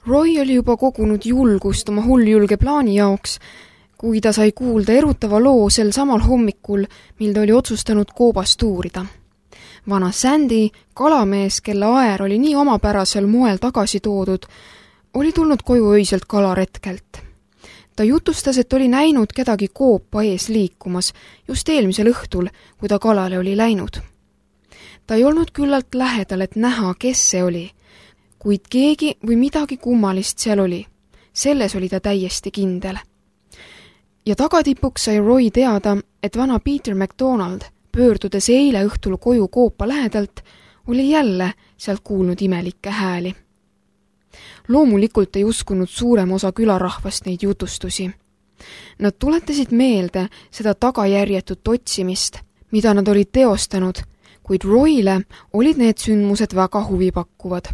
Roy oli juba kogunud julgust oma hulljulge plaani jaoks, kui ta sai kuulda erutava loo sel samal hommikul, mil ta oli otsustanud koobast uurida. Vana Sandy, kalamees, kelle aer oli nii omapärasel moel tagasi toodud, oli tulnud koju öiselt kalaretkelt. Ta jutustas, et oli näinud kedagi koopa ees liikumas just eelmisel õhtul, kui ta kalale oli läinud. Ta ei olnud küllalt lähedal, et näha, kes see oli, kuid keegi või midagi kummalist seal oli. Selles oli ta täiesti kindel. Ja tagatipuks sai Roy teada, et vana Peter MacDonald, pöördudes eile õhtul koju koopa lähedalt, oli jälle sealt kuulnud imelikke hääli. Loomulikult ei uskunud suurem osa külarahvast neid jutustusi. Nad tuletasid meelde seda tagajärjetut otsimist, mida nad olid teostanud, kuid Royle olid need sündmused väga huvipakkuvad.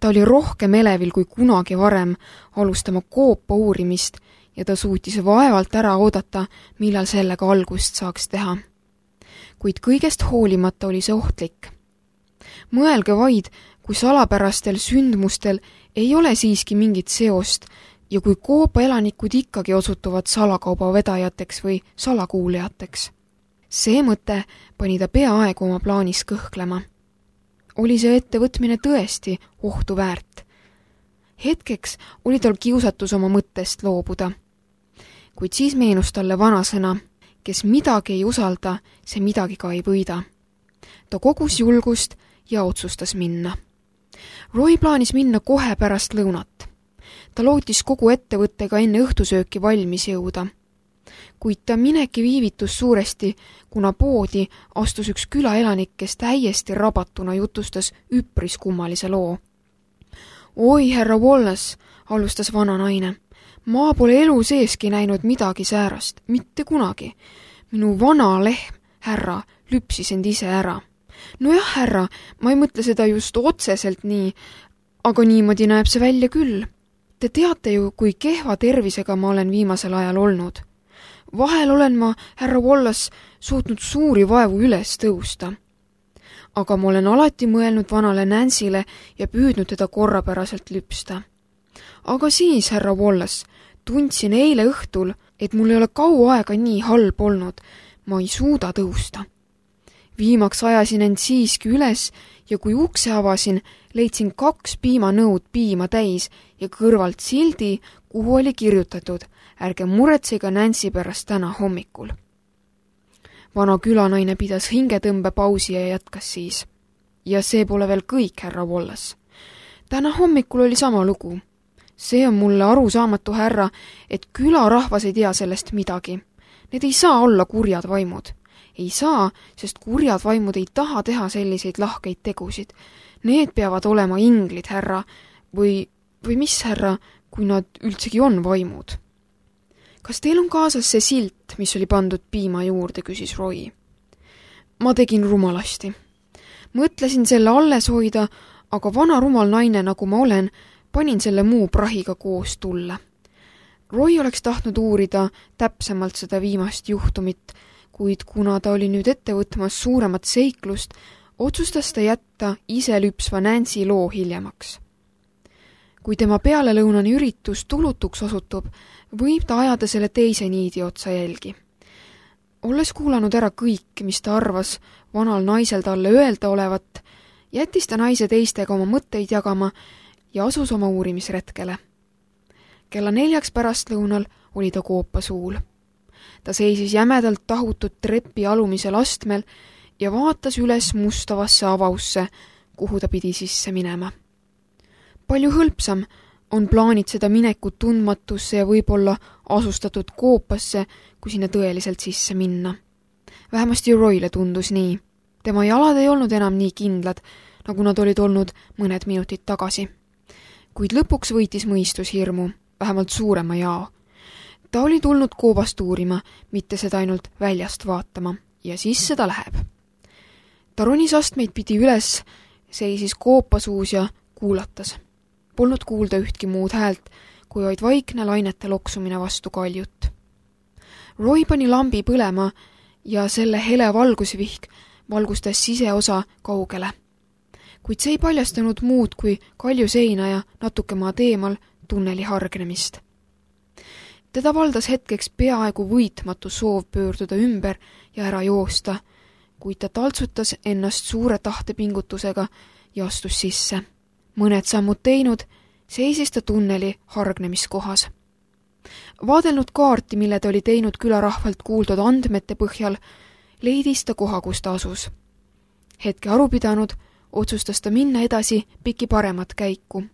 Ta oli rohkem elevil kui kunagi varem alustama koopa uurimist ja ta suutis vaevalt ära oodata, millal sellega algust saaks teha. Kuid kõigest hoolimata oli see ohtlik. Mõelge vaid, kui salapärastel sündmustel ei ole siiski mingit seost ja kui koopa elanikud ikkagi osutuvad salakauba vedajateks või salakuulijateks. See mõte pani ta peaaegu oma plaanis kõhklema. Oli see ettevõtmine tõesti ohtu väärt? Hetkeks oli tal kiusatus oma mõttest loobuda. Kuid siis meenus talle vanasõna, kes midagi ei usalda, see midagi ka ei võida. Ta kogus julgust ja otsustas minna. Roy plaanis minna kohe pärast lõunat. Ta lootis kogu ettevõttega enne õhtusööki valmis jõuda. Kuid ta mineki viivitus suuresti, kuna poodi astus üks külaelanik, kes täiesti rabatuna jutustas üpris kummalise loo. Oi, härra Wallace, alustas vana naine. Ma pole elu seeski näinud midagi säärast, mitte kunagi. Minu vana lehm, härra, lüpsis end ise ära. Nojah, härra, ma ei mõtle seda just otseselt nii, aga niimoodi näeb see välja küll. Te teate ju, kui kehva tervisega ma olen viimasel ajal olnud. Vahel olen ma, härra Wallace, suutnud suuri vaevu üles tõusta. Aga ma olen alati mõelnud vanale Nancyle ja püüdnud teda korrapäraselt lüpsta. Aga siis, härra Wallace, tundsin eile õhtul, et mul ei ole kaua aega nii halb olnud. Ma ei suuda tõusta. Viimaks ajasin end siiski üles ja kui ukse avasin, leidsin 2 piimanõud piima täis ja kõrvalt sildi, kuhu oli kirjutatud: ärge muretsega Nancy pärast täna hommikul. Vana külanaine pidas hingetõmbepausi ja jätkas siis. Ja see pole veel kõik, härra Wallace. Täna hommikul oli sama lugu. See on mulle arusaamatu, härra, et külarahvas ei tea sellest midagi. Need ei saa olla kurjad vaimud. Ei saa, sest kurjad vaimud ei taha teha selliseid lahkeid tegusid. Need peavad olema inglid, härra, või mis, härra, kui nad üldsegi on vaimud. Kas teil on kaasas see silt, mis oli pandud piima juurde, küsis Roy. Ma tegin rumalasti. Mõtlesin selle alles hoida, aga vana rumal naine, nagu ma olen, panin selle muu prahiga koos tulle. Roy oleks tahtnud uurida täpsemalt seda viimast juhtumit, kuid kuna ta oli nüüd ette võtmas suuremat seiklust, otsustas ta jätta ise lüpsva Nancy loo hiljemaks. Kui tema pealelõunane üritus tulutuks osutub, võib ta ajada selle teise niidi otsa jälgi. Olles kuulanud ära kõik, mis ta arvas vanal naisel talle öelda olevat, jättis ta naise teistega oma mõtteid jagama ja asus oma uurimisretkele. Kella 4 pärastlõunal oli ta koopa suul. Ta seisis jämedalt tahutud trepi alumisel astmel ja vaatas üles mustavasse avausse, kuhu ta pidi sisse minema. Palju hõlpsam on plaanitseda minekut tundmatusse ja võib-olla asustatud koopasse, kui sinna tõeliselt sisse minna. Vähemasti Royle tundus nii. Tema jalad ei olnud enam nii kindlad, nagu nad olid olnud mõned minutid tagasi. Kuid lõpuks võitis mõistus hirmu, vähemalt suurema jao. Ta oli tulnud koobast uurima, mitte seda ainult väljast vaatama, ja siis seda läheb. Ta ronis astmeid pidi üles, seisis koopasuus ja kuulatas. Polnud kuulda ühtki muud häält, kui vaid vaikne lainete loksumine vastu kaljut. Roy pani lambi põlema ja selle hele valgusvihk valgustas siseosa kaugele. kuid see ei paljastanud muud kui kalju seina ja natuke maad eemal tunneli hargnemist. Teda valdas hetkeks peaaegu võitmatu soov pöörduda ümber ja ära joosta, kuid ta taltsutas ennast suure tahtepingutusega ja astus sisse. Mõned sammud teinud, seisis ta tunneli hargnemiskohas. Vaadelnud kaarti, mille ta oli teinud külarahvalt kuuldud andmete põhjal, leidis ta koha, kus ta asus. Hetke aru pidanud, otsustas ta minna edasi piki paremat käiku.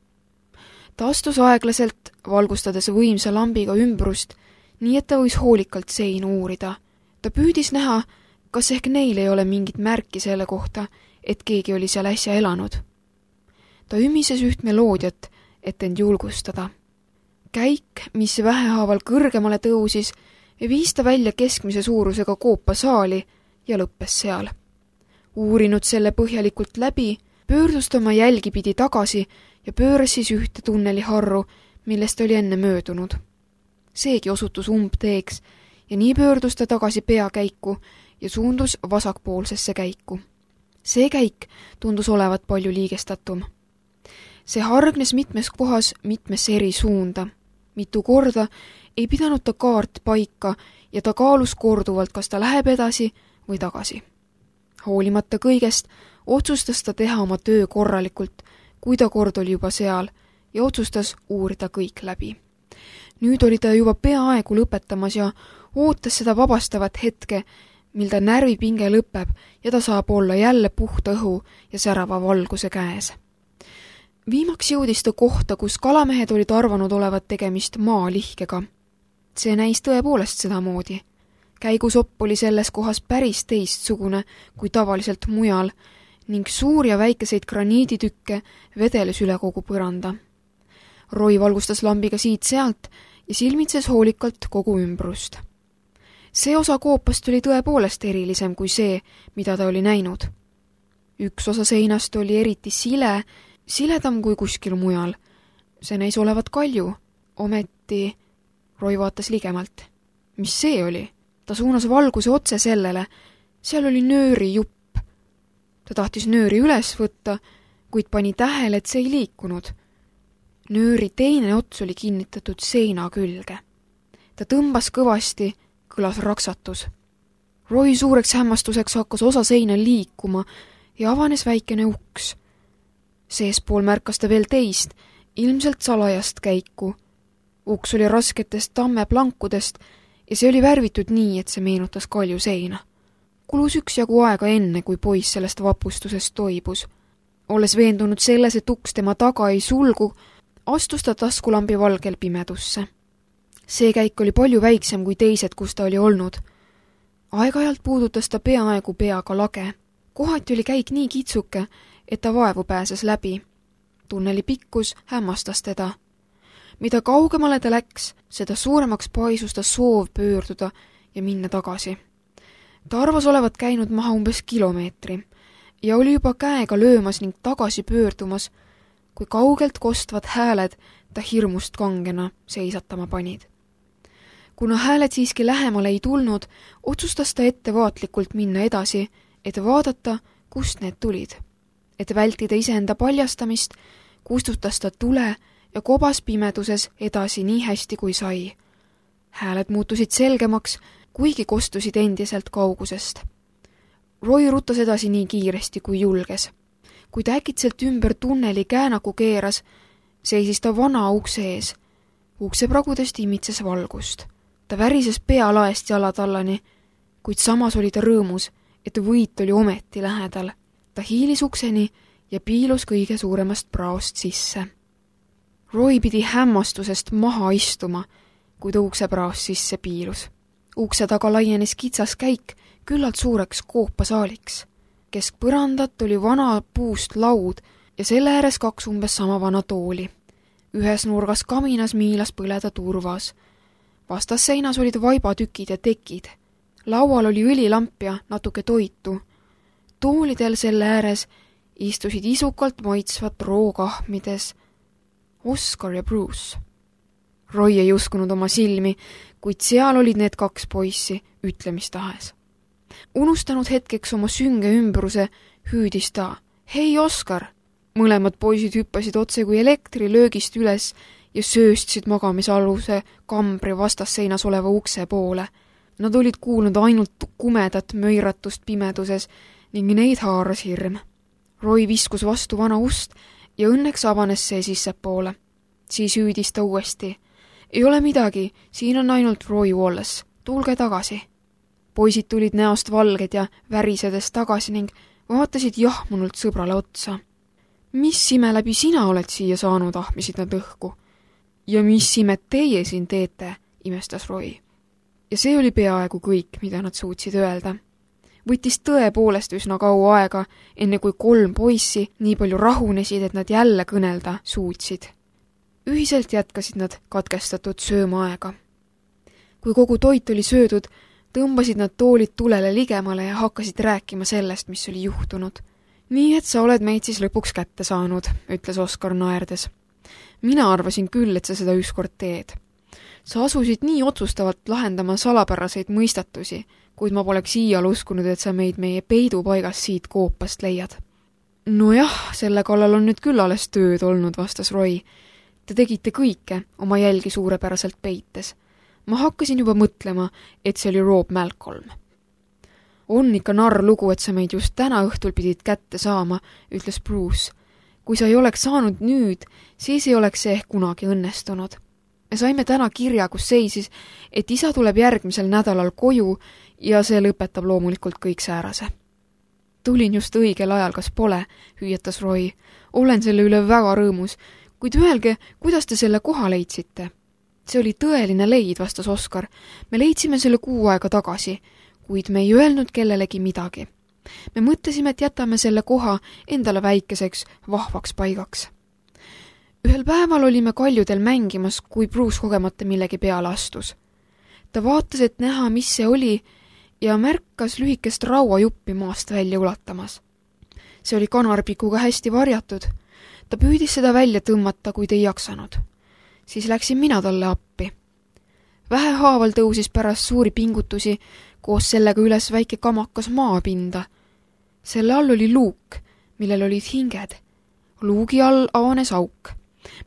Ta astus aeglaselt, valgustades võimsa lambiga ümbrust, nii et ta võis hoolikalt seinu uurida. Ta püüdis näha, kas ehk neil ei ole mingit märki selle kohta, et keegi oli seal äsja elanud. Ta ümises üht meloodiat, et end julgustada. Käik, mis vähehaaval kõrgemale tõusis, viis ta välja keskmise suurusega koopasaali ja lõppes seal. Uurinud selle põhjalikult läbi, pöördus ta oma jälgi pidi tagasi ja pööras siis ühte tunneli harru, millest oli enne möödunud. Seegi osutus umbteeks ja nii pöördus ta tagasi peakäiku ja suundus vasakpoolsesse käiku. See käik tundus olevat palju liigestatum. See hargnes mitmes kohas mitmesse eri suunda. Mitu korda ei pidanud ta kaart paika ja ta kaalus korduvalt, kas ta läheb edasi või tagasi. Hoolimata kõigest otsustas ta teha oma töö korralikult, kui ta kord oli juba seal ja otsustas uurida kõik läbi. Nüüd oli ta juba peaaegu lõpetamas ja ootas seda vabastavat hetke, mil ta närvipinge lõpeb ja ta saab olla jälle puhta õhu ja särava valguse käes. Viimaks jõudis ta kohta, kus kalamehed olid arvanud olevat tegemist maalihkega. See näis tõepoolest sedamoodi. Käigusopp oli selles kohas päris teistsugune kui tavaliselt mujal ning suur ja väikeseid graniiditükke vedeles üle kogu põranda. Roy valgustas lambiga siit-sealt ja silmitses hoolikalt kogu ümbrust. See osa koopast oli tõepoolest erilisem kui see, mida ta oli näinud. Üks osa seinast oli eriti siledam kui kuskil mujal. See näis olevat kalju, ometi Roy vaatas ligemalt. Mis see oli? Ta suunas valguse otse sellele. Seal oli nööri jupp. Ta tahtis nööri üles võtta, kuid pani tähele, et see ei liikunud. Nööri teine ots oli kinnitatud seina külge. Ta tõmbas kõvasti, kõlas raksatus. Roy suureks hämmastuseks hakkas osa seina liikuma ja avanes väikene uks. Seespool märkas ta veel teist, ilmselt salajast käiku. Uks oli rasketest tammeplankudest ja see oli värvitud nii, et see meenutas kalju seina. Kulus üksjagu aega enne, kui poiss sellest vapustusest toibus. Olles veendunud selles, et uks tema taga ei sulgu, astus ta taskulambi valgel pimedusse. See käik oli palju väiksem kui teised, kus ta oli olnud. Aeg-ajalt puudutas ta peaaegu peaga lage. Kohati oli käik nii kitsuke, et ta vaevu pääses läbi. Tunneli pikkus hämmastas teda. Mida kaugemale ta läks, seda suuremaks paisus ta soov pöörduda ja minna tagasi. Ta arvas olevat käinud maha umbes kilomeetri ja oli juba käega löömas ning tagasi pöördumas, kui kaugelt kostvad hääled ta hirmust kangena seisatama panid. Kuna hääled siiski lähemale ei tulnud, otsustas ta ettevaatlikult minna edasi, et vaadata, kust need tulid. Et vältida iseenda paljastamist, kustutas ta tule ja kobas pimeduses edasi nii hästi kui sai. Hääled muutusid selgemaks, kuigi kostusid endiselt kaugusest. Roy rutas edasi nii kiiresti kui julges. Kui ta äkitselt ümber tunneli käänaku keeras, seisis ta vana ukse ees. Ukse pragudest imitses valgust. Ta värises pealaest jalatallani, kuid samas oli ta rõõmus, et võit oli ometi lähedal. Ta hiilis ukseni ja piilus kõige suuremast praost sisse. Roy pidi hämmastusest maha istuma, kui ta uksepraost sisse piilus. Ukse taga laienes kitsas käik küllalt suureks koopasaaliks. Keskpõrandat oli vana puust laud ja selle ääres 2 umbes sama vana tooli. Ühes nurgas kaminas miilas põleda turvas. Vastas seinas olid vaibatükid ja tekid. Laual oli õlilamp ja natuke toitu. Toolidel selle ääres istusid isukalt maitsvat rookahmides Oscar ja Bruce. Roy ei uskunud oma silmi, kuid seal olid need 2 poissi ütlemistahes. Unustanud hetkeks oma sünge ümbruse, hüüdis ta, hei Oscar, Mõlemad poisid hüppasid otse kui elektrilöögist üles ja sööstsid magamisaluse kambri vastasseinas oleva ukse poole. Nad olid kuulnud ainult kumedat möiratust pimeduses ning neid haaras hirm. Roy viskus vastu vana ust ja õnneks avanes see sissepoole. Siis hüüdis ta uuesti. Ei ole midagi, siin on ainult Roy Wallace. Tulge tagasi. Poisid tulid näost valged ja värisedes tagasi ning vaatasid jahmunult sõbrale otsa. Mis ime läbi sina oled siia saanud, ahmisid nad õhku. Ja mis imet teie siin teete, imestas Roy. Ja see oli peaaegu kõik, mida nad suutsid öelda. Võttis tõepoolest üsna kaua aega, enne kui 3 poissi nii palju rahunesid, et nad jälle kõnelda suutsid. Ühiselt jätkasid nad katkestatud söömaaega. Kui kogu toit oli söödud, tõmbasid nad toolid tulele ligemale ja hakkasid rääkima sellest, mis oli juhtunud. Nii et sa oled meid siis lõpuks kätte saanud, ütles Oskar naerdes. Mina arvasin küll, et sa seda ükskord teed. Sa asusid nii otsustavalt lahendama salapäraseid mõistatusi, kuid ma poleks iial uskunud, et sa meid meie peidupaigast siit koopast leiad. Nojah, selle kallal on nüüd küll alles tööd olnud, vastas Roy. Te tegite kõike, oma jälgi suurepäraselt peites. Ma hakkasin juba mõtlema, et see oli Rob Malcolm. On ikka narr lugu, et sa meid just täna õhtul pidid kätte saama, ütles Bruce. Kui sa ei oleks saanud nüüd, siis ei oleks see ehk kunagi õnnestunud. Me saime täna kirja, kus seisis, et isa tuleb järgmisel nädalal koju ja see lõpetab loomulikult kõik säärase. Tulin just õigel ajal, kas pole, hüüatas Roy. Olen selle üle väga rõõmus, kuid öelge, kuidas te selle koha leidsite? See oli tõeline leid, vastas Oskar. Me leidsime selle 6 aega tagasi, kuid me ei öelnud kellelegi midagi. Me mõtlesime, et jätame selle koha endale väikeseks, vahvaks paigaks. Ühel päeval olime kaljudel mängimas, kui Bruce kogemata millegi peale astus. Ta vaatas, et näha, mis see oli, ja märkas lühikest rauajuppi maast välja ulatamas. See oli kanarpikuga hästi varjatud. Ta püüdis seda välja tõmmata, kuid ei jaksanud. Siis läksin mina talle appi. Vähehaaval tõusis pärast suuri pingutusi koos sellega üles väike kamakas maapinda. Selle all oli luuk, millel olid hinged. Luugi all avanes auk.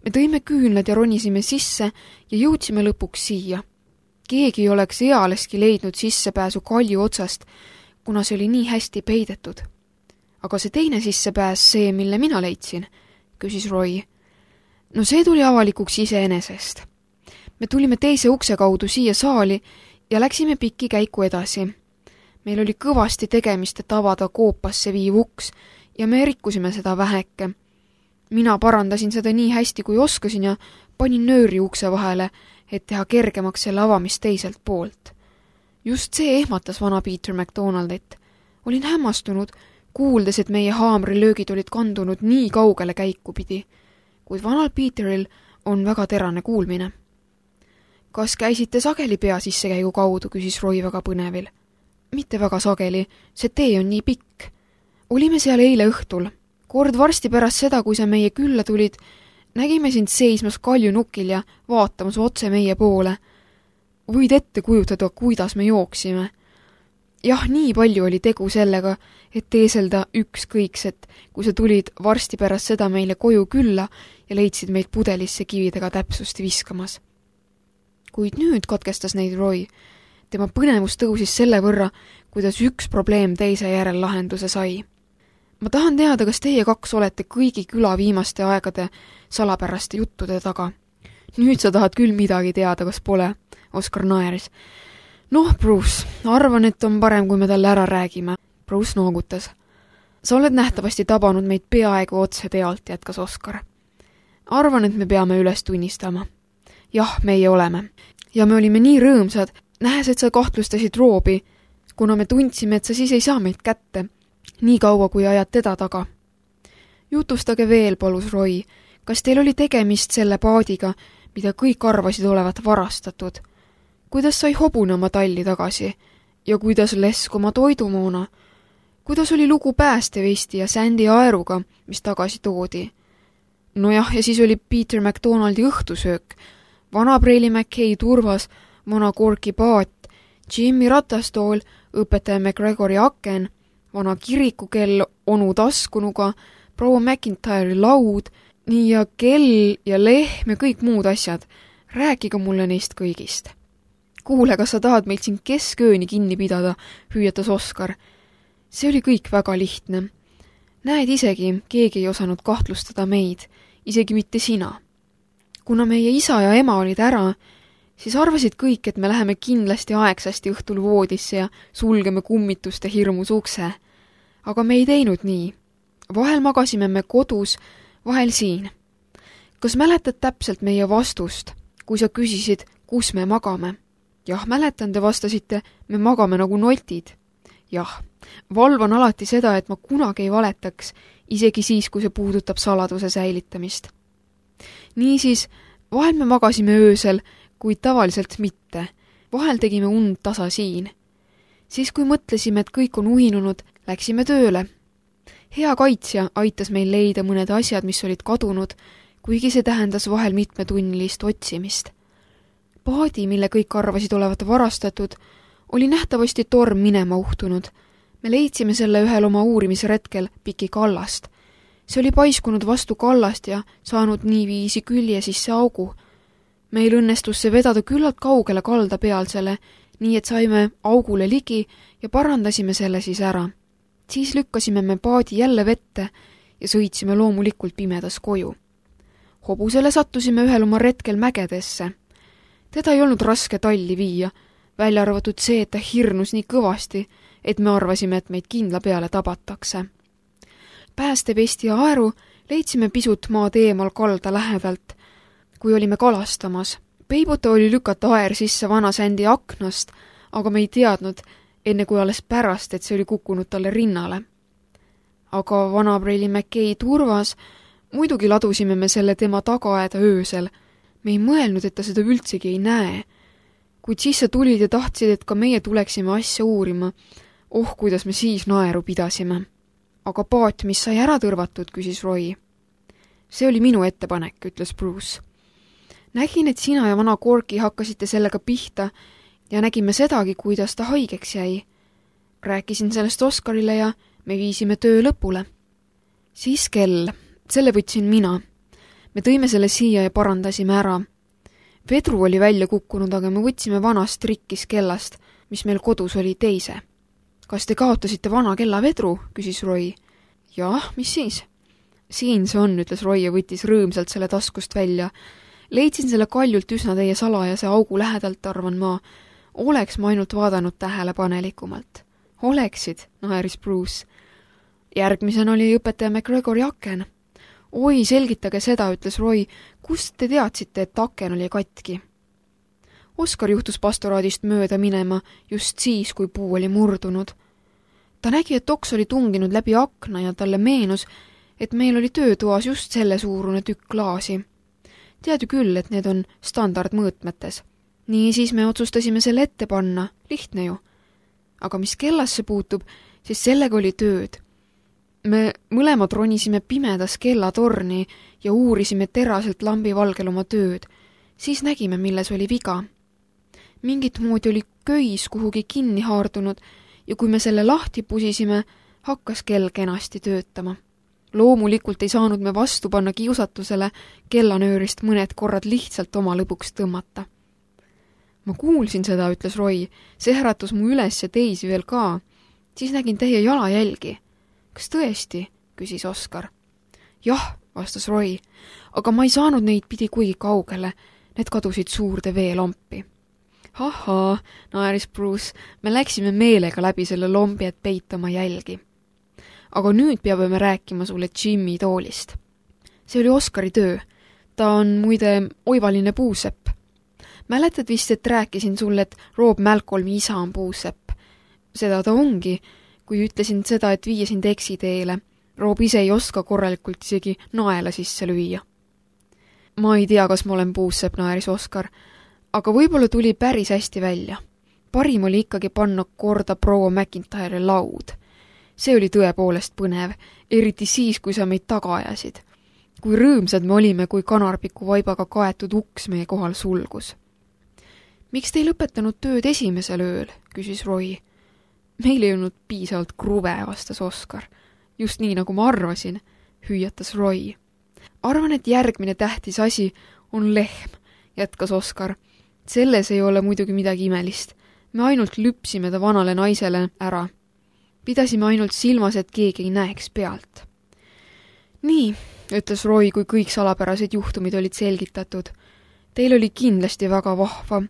Me tõime küünlad ja ronisime sisse ja jõudsime lõpuks siia. Keegi ei oleks ealeski leidnud sissepääsu kalju otsast, kuna see oli nii hästi peidetud. Aga see teine sissepääs, see, mille mina leidsin, küsis Roy. No see tuli avalikuks iseenesest. Me tulime teise ukse kaudu siia saali ja läksime pikki käiku edasi. Meil oli kõvasti tegemist, et avada koopasse viiv uks ja me rikkusime seda väheke. Mina parandasin seda nii hästi, kui oskasin ja panin nööri ukse vahele, et teha kergemaks selle avamist teiselt poolt. Just see ehmatas vana Peter MacDonaldit. Olin hämmastunud, kuuldes, et meie haamrilöögid olid kandunud nii kaugele käiku pidi, kuid vanal Peteril on väga terane kuulmine. Kas käisite sageli pea sissekäigu kaudu, küsis Roy väga põnevil. Mitte väga sageli, see tee on nii pikk. Olime seal eile õhtul. Kord varsti pärast seda, kui sa meie külla tulid, nägime sind seismas kaljunukil ja vaatamas otse meie poole. Võid ette kujutada, kuidas me jooksime. Jah, nii palju oli tegu sellega, et teeselda ükskõikset, kui sa tulid varsti pärast seda meile koju külla ja leidsid meid pudelisse kividega täpsusti viskamas. Kuid nüüd katkestas neid Roy. Tema põnevus tõusis selle võrra, kuidas üks probleem teise järel lahenduse sai. Ma tahan teada, kas teie 2 olete kõigi küla viimaste aegade salapäraste juttude taga. Nüüd sa tahad küll midagi teada, kas pole, Oskar naeris. Noh, Bruce, arvan, et on parem, kui me talle ära räägime. Bruce noogutas. Sa oled nähtavasti tabanud meid peaaegu otse tealt, jätkas Oskar. Arvan, et me peame üles tunnistama. Jah, meie oleme. Ja me olime nii rõõmsad, nähes, et sa kahtlustasid Robi, kuna me tundsime, et sa siis ei saa meid kätte. Nii kaua, kui ajad teda taga. Jutustage veel, palus Roy. Kas teil oli tegemist selle paadiga, mida kõik arvasid olevat varastatud? Kuidas sai hobune oma talli tagasi? Ja kuidas lesk oma toidumoona? Kuidas oli lugu päästevesti ja Sandy aeruga, mis tagasi toodi? Nojah, ja siis oli Peter MacDonaldi õhtusöök, vana Preili McKay turvas, vana Corki paat, Jimmy ratastool, õpetaja McGregori aken, vana kirikukell onu taskunuga, proua McIntyre'i laud, nii ja kell ja lehm ja kõik muud asjad. Rääkige mulle neist kõigist. Kuule, kas sa tahad meilt siin keskööni kinni pidada, hüüatas Oskar. See oli kõik väga lihtne. Näed isegi, keegi ei osanud kahtlustada meid, isegi mitte sina. Kuna meie isa ja ema olid ära, siis arvasid kõik, et me läheme kindlasti aegsasti õhtul voodisse ja sulgeme kummituste hirmus ukse. Aga me ei teinud nii. Vahel magasime me kodus, vahel siin. Kas mäletad täpselt meie vastust, kui sa küsisid, kus me magame? Jah, mäletan, te vastasite, me magame nagu notid. Jah, valvan alati seda, et ma kunagi ei valetaks, isegi siis, kui see puudutab saladuse säilitamist. Niisiis, vahel me magasime öösel, kuid tavaliselt mitte. Vahel tegime und tasa siin. Siis, kui mõtlesime, et kõik on uinunud, läksime tööle. Hea kaitsja aitas meil leida mõned asjad, mis olid kadunud, kuigi see tähendas vahel mitmetunnilist otsimist. Paadi, mille kõik arvasid olevat varastatud, oli nähtavasti torm minema uhtunud. Me leidsime selle ühel oma uurimisretkel piki kallast. See oli paiskunud vastu kallast ja saanud niiviisi külje sisse augu. Meil õnnestus see vedada küllalt kaugele kalda pealsele, nii et saime augule ligi ja parandasime selle siis ära. Siis lükkasime me paadi jälle vette ja sõitsime loomulikult pimedas koju. Hobusele sattusime ühel oma retkel mägedesse. Teda ei olnud raske talli viia, välja arvatud see, et ta hirnus nii kõvasti, et me arvasime, et meid kindla peale tabatakse. Päästevesti ja aeru leidsime pisut maad eemal kalda lähedalt, kui olime kalastamas. Peibuta oli lükata aer sisse vana Sändi aknast, aga me ei teadnud, enne kui alles pärast, et see oli kukkunud talle rinnale. Aga vana Preili McKay turvas, muidugi ladusime me selle tema tagaaeda öösel. Me ei mõelnud, et ta seda üldsegi ei näe. Kuid siis sa tulid ja tahtsid, et ka meie tuleksime asja uurima. Oh, kuidas me siis naeru pidasime. Aga paat, mis sai ära tõrvatud, küsis Roy. See oli minu ettepanek, ütles Bruce. Nägin, et sina ja vana Corky hakkasite sellega pihta ja nägime sedagi, kuidas ta haigeks jäi. Rääkisin sellest Oskarile ja me viisime töö lõpule. Siis kell, selle võtsin mina. Me tõime selle siia ja parandasime ära. Vedru oli välja kukkunud, aga me võtsime vanast rikkis kellast, mis meil kodus oli teise. Kas te kaotasite vana kella vedru, küsis Roy. Jah, mis siis? Siin see on, ütles Roy ja võttis rõõmsalt selle taskust välja. Leidsin selle kaljult üsna teie salajase augu lähedalt, arvan ma. Oleks ma ainult vaadanud tähelepanelikumalt. Oleksid, naeris Bruce. Järgmisena oli õpetaja McGregori aken. Oi, selgitage seda, ütles Roy. Kust te teadsite, et aken oli katki? Oskar juhtus pastoraadist mööda minema just siis, kui puu oli murdunud. Ta nägi, et oks oli tunginud läbi akna ja talle meenus, et meil oli töötoas just selle suurune tükk klaasi. Tead ju küll, et need on standardmõõtmetes. Nii siis me otsustasime selle ette panna, lihtne ju. Aga mis kellasse puutub, siis sellega oli tööd. Me mõlemad ronisime pimedas kellatorni ja uurisime teraselt lambivalgel oma tööd. Siis nägime, milles oli viga. Mingit moodi oli köis kuhugi kinni haardunud ja kui me selle lahti pusisime, hakkas kell kenasti töötama. Loomulikult ei saanud me vastu panna kiusatusele kellanöörist mõned korrad lihtsalt oma lõbuks tõmmata. Ma kuulsin seda, ütles Roy. See äratus mu üles ja teisi veel ka. Siis nägin teie jalajälgi. Kas tõesti? Küsis Oskar. Jah, vastas Roy, aga ma ei saanud neid pidi kuigi kaugele. Need kadusid suurde veelampi. Ahaa, naeris Bruce, me läksime meelega läbi selle lombi, et peitama jälgi. Aga nüüd peame me rääkima sulle Jimmy toolist. See oli Oskari töö. Ta on muide oivaline puusepp. Mäletad vist, et rääkisin sulle, et Rob Malcolmi isa on puusepp. Seda ta ongi, kui ütlesin seda, et viia sind eksiteele. Rob ise ei oska korralikult isegi naela sisse lüüa. Ma ei tea, kas ma olen puusepp, naeris Oskar, aga võib-olla tuli päris hästi välja. Parim oli ikkagi panna korda proua McIntyre'i laud. See oli tõepoolest põnev, eriti siis, kui sa meid taga ajasid. Kui rõõmsad me olime, kui kanarpiku vaibaga kaetud uks meie kohal sulgus. Miks te ei lõpetanud tööd esimesel ööl, küsis Roy. Meil ei olnud piisavalt kruve, vastas Oskar. Just nii, nagu ma arvasin. hüüatas Roy. Arvan, et järgmine tähtis asi on lehm, jätkas Oskar. Selles ei ole muidugi midagi imelist. Me ainult lüpsime ta vanale naisele ära. Pidasime ainult silmas, et keegi ei näeks pealt. Nii, ütles Roy, kui kõik salapärased juhtumid olid selgitatud. Teil oli kindlasti väga vahva.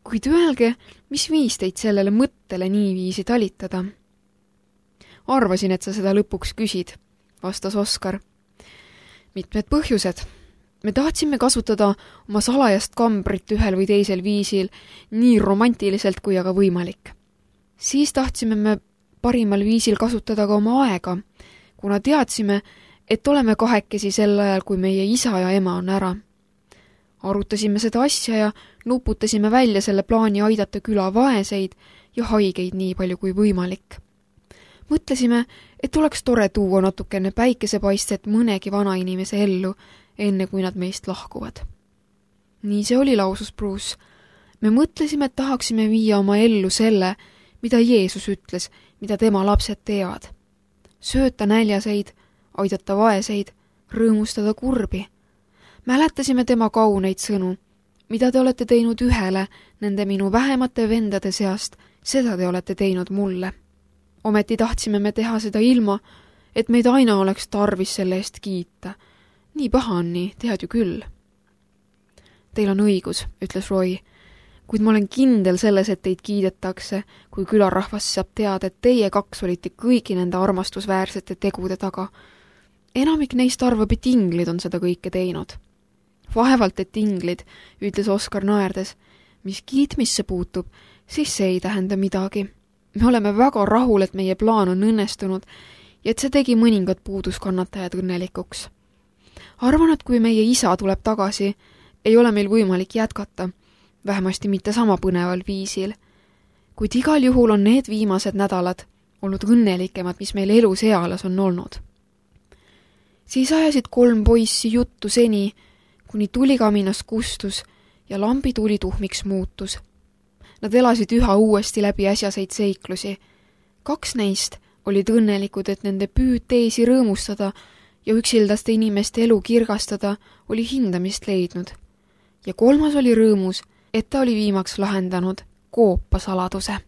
Kuid öelge, mis viis teid sellele mõttele niiviisi talitada? Arvasin, et sa seda lõpuks küsid, vastas Oskar. Mitmed põhjused. Me tahtsime kasutada oma salajast kambrit ühel või teisel viisil, nii romantiliselt kui aga võimalik. Siis tahtsime me parimal viisil kasutada ka oma aega, kuna teadsime, et oleme kahekesi sel ajal, kui meie isa ja ema on ära. Arutasime seda asja ja nuputasime välja selle plaani aidata küla vaeseid ja haigeid nii palju kui võimalik. Mõtlesime, et oleks tore tuua natukene päikesepaistet mõnegi vanainimese ellu, enne kui nad meist lahkuvad. Nii see oli, lausus Bruce. Me mõtlesime, et tahaksime viia oma ellu selle, mida Jeesus ütles, mida tema lapsed teevad. Sööta näljaseid, aidata vaeseid, rõõmustada kurbi. Mäletasime tema kauneid sõnu. Mida te olete teinud ühele nende minu vähemate vendade seast, seda te olete teinud mulle. Ometi tahtsime me teha seda ilma, et meid aina oleks tarvis selle eest kiita. Nii paha on nii, tead ju küll. Teil on õigus, ütles Roy, kuid ma olen kindel selles, et teid kiidetakse, kui külarahvas saab teada, et teie kaks olite kõigi nende armastusväärsete tegude taga. Enamik neist arvab, et inglid on seda kõike teinud. Vaevalt, et inglid, ütles Oskar naerdes. Mis kiitmisse puutub, siis see ei tähenda midagi. Me oleme väga rahul, et meie plaan on õnnestunud ja et see tegi mõningad puuduskannatajad õnnelikuks. Arvan, et kui meie isa tuleb tagasi, ei ole meil võimalik jätkata, vähemasti mitte sama põneval viisil. Kuid igal juhul on need viimased nädalad olnud õnnelikemad, mis meil elus eales on olnud. Siis ajasid 3 poissi juttu seni, kuni tulikaminas kustus ja lambituli tuhmiks muutus. Nad elasid üha uuesti läbi äsjaseid seiklusi. 2 neist olid õnnelikud, et nende püüd teisi rõõmustada ja üksildaste inimeste elu kirgastada oli hindamist leidnud. Ja 3. oli rõõmus, et ta oli viimaks lahendanud koopasaladuse.